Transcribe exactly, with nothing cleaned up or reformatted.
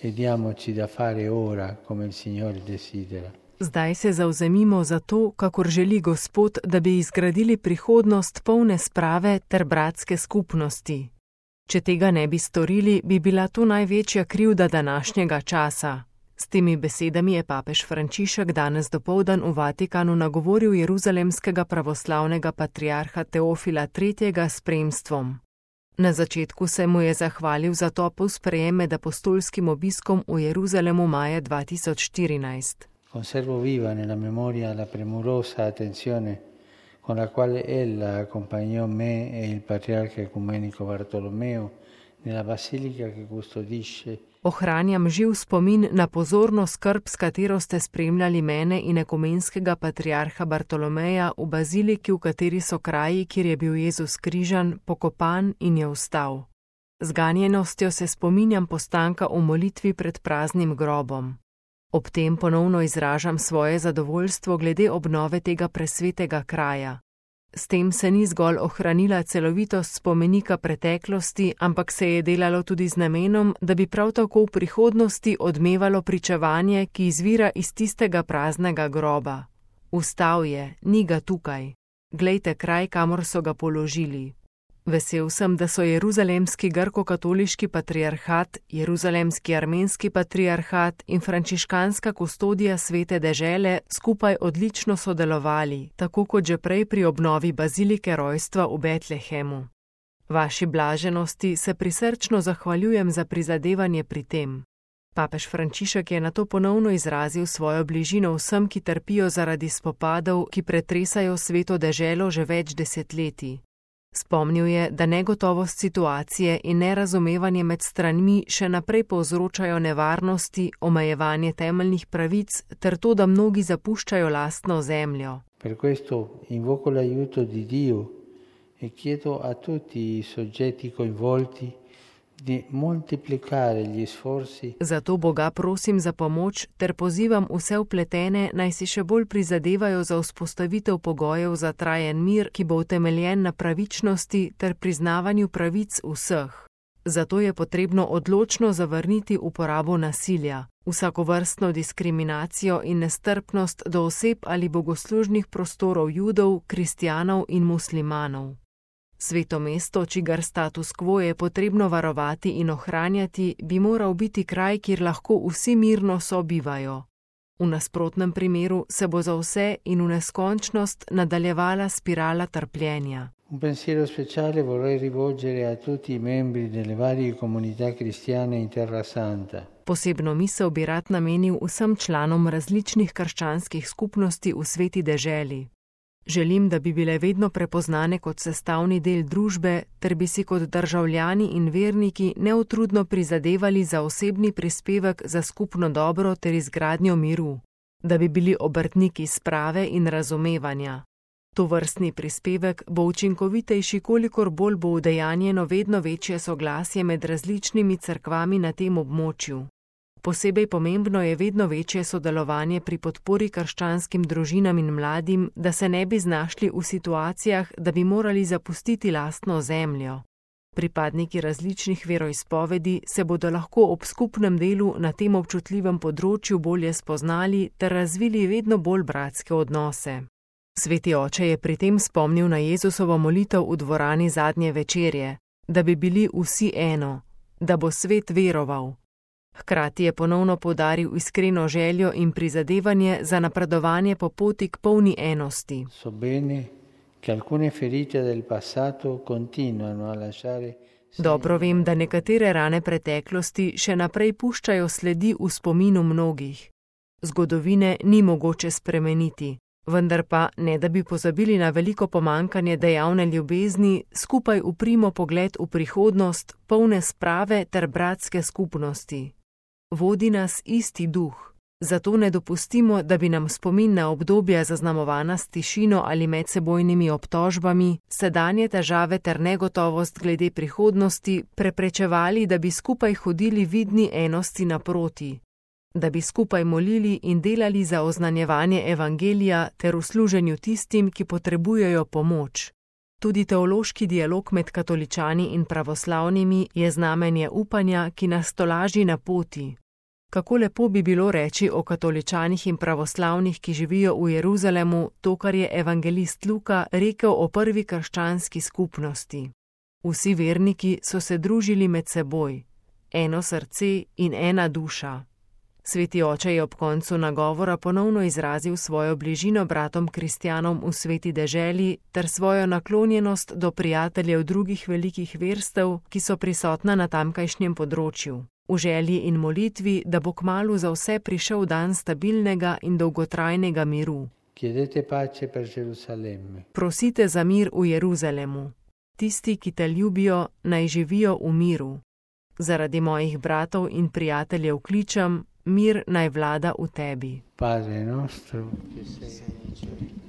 e diamoci da fare ora come il Signore desidera. Zdaj se zavzemimo za to, kakor želi Gospod, da bi izgradili prihodnost polne sprave ter bratske skupnosti. Če tega ne bi storili, bi bila to največja krivda današnjega časa. S temi besedami je papež Frančišek danes dopoldan v Vatikanu nagovoril jeruzalemskega pravoslavnega patriarha Teofila tretjega s spremstvom. Na začetku se mu je zahvalil za topel sprejem med apostolskim obiskom v Jeruzalemu maja dva tisoč štirinajst. Conservo viva nella memoria la premurosa attenzione con la quale ella accompagnò me e il patriarca ecumenico Bartolomeo nella basilica che custodisce. Ohranjam živ spomin na pozorno skrb, s katero ste spremljali mene in ekumenskega patriarha Bartolomeja v baziliki, v kateri so kraji, kjer je bil Jezus križan, pokopan in je vstal. Z ganjenostjo se spominjam postanka v molitvi pred praznim grobom. Ob tem ponovno izražam svoje zadovoljstvo glede obnove tega presvetega kraja. S tem se ni zgolj ohranila celovitost spomenika preteklosti, ampak se je delalo tudi z namenom, da bi prav tako v prihodnosti odmevalo pričevanje, ki izvira iz tistega praznega groba. Vstal je, ni ga tukaj. Glejte kraj, kamor so ga položili. Vesel sem, da so jeruzalemski grko-katoliški patriarhat, jeruzalemski armenski patriarhat in frančiškanska kustodija svete dežele skupaj odlično sodelovali, tako kot že prej pri obnovi bazilike rojstva v Betlehemu. Vaši blaženosti se prisrčno zahvaljujem za prizadevanje pri tem. Papež Frančišek je nato ponovno izrazil svojo bližino vsem, ki trpijo zaradi spopadov, ki pretresajo sveto deželo že več desetletij. Spomnil je, da negotovost situacije in nerazumevanje med stranmi še naprej povzročajo nevarnosti, omejevanje temeljnih pravic ter to, da mnogi zapuščajo lastno zemljo. Per questo invoco l'aiuto di Dio e chiedo a tutti i soggetti coinvolti di moltiplicare gli sforzi. Zato Boga prosim za pomoč ter pozivam vse vpletene, naj si še bolj prizadevajo za vzpostavitev pogojev za trajen mir, ki bo utemeljen na pravičnosti ter priznavanju pravic vseh. Zato je potrebno odločno zavrniti uporabo nasilja, vsakovrstno diskriminacijo in nestrpnost do oseb ali bogoslužnih prostorov Judov, kristjanov in muslimanov. Sveto mesto, čigar status quo je potrebno varovati in ohranjati, bi moral biti kraj, kjer lahko vsi mirno sobivajo. V nasprotnem primeru se bo za vse in v neskončnost nadaljevala spirala trpljenja. Un pensiero speciale vorrei rivolgere a tutti i membri delle varie comunità cristiane in Terra Santa. Posebno misel bi rad namenil vsem članom različnih krščanskih skupnosti v sveti deželi. Želim, da bi bile vedno prepoznane kot sestavni del družbe, ter bi si kot državljani in verniki neutrudno prizadevali za osebni prispevek za skupno dobro ter izgradnjo miru, da bi bili obrtniki sprave in razumevanja. Tovrstni prispevek bo učinkovitejši, kolikor bolj bo udejanjeno vedno večje soglasje med različnimi cerkvami na tem območju. Posebej pomembno je vedno večje sodelovanje pri podpori krščanskim družinam in mladim, da se ne bi znašli v situacijah, da bi morali zapustiti lastno zemljo. Pripadniki različnih veroizpovedi se bodo lahko ob skupnem delu na tem občutljivem področju bolje spoznali ter razvili vedno bolj bratske odnose. Sveti oče je pri tem spomnil na Jezusovo molitev v dvorani zadnje večerje, da bi bili vsi eno, da bo svet veroval. Hkrati je ponovno poudaril iskreno željo in prizadevanje za napredovanje po poti k polni enosti. So bene che alcune ferite del passato continuano a lasciare. Dobro vem, da nekatere rane preteklosti še naprej puščajo sledi v spominu mnogih. Zgodovine ni mogoče spremeniti, vendar pa, ne da bi pozabili na veliko pomankanje dejavne ljubezni, skupaj uprimo pogled v prihodnost, polne sprave ter bratske skupnosti. Vodi nas isti duh, zato ne dopustimo, da bi nam spomin na obdobja zaznamovana s tišino ali medsebojnimi obtožbami, sedanje težave ter negotovost glede prihodnosti preprečevali, da bi skupaj hodili vidni enosti naproti, da bi skupaj molili in delali za oznanjevanje evangelija ter v služenju tistim, ki potrebujejo pomoč. Tudi teološki dialog med katoličani in pravoslavnimi je znamenje upanja, ki nas tolaži na poti. Kako lepo bi bilo reči o katoličanih in pravoslavnih, ki živijo v Jeruzalemu, to, kar je evangelist Luka rekel o prvi krščanski skupnosti. Vsi verniki so se družili med seboj, eno srce in ena duša. Sveti oče je ob koncu nagovora ponovno izrazil svojo bližino bratom kristjanom v sveti deželi ter svojo naklonjenost do prijateljev drugih velikih verstev, ki so prisotna na tamkajšnjem področju. V želji in molitvi, da bo kmalu za vse prišel dan stabilnega in dolgotrajnega miru. Prosite za mir v Jeruzalemu. Tisti, ki te ljubijo, naj živijo v miru. Zaradi mojih bratov in prijateljev kličem, mir naj vlada v tebi. Padre nostro, che sei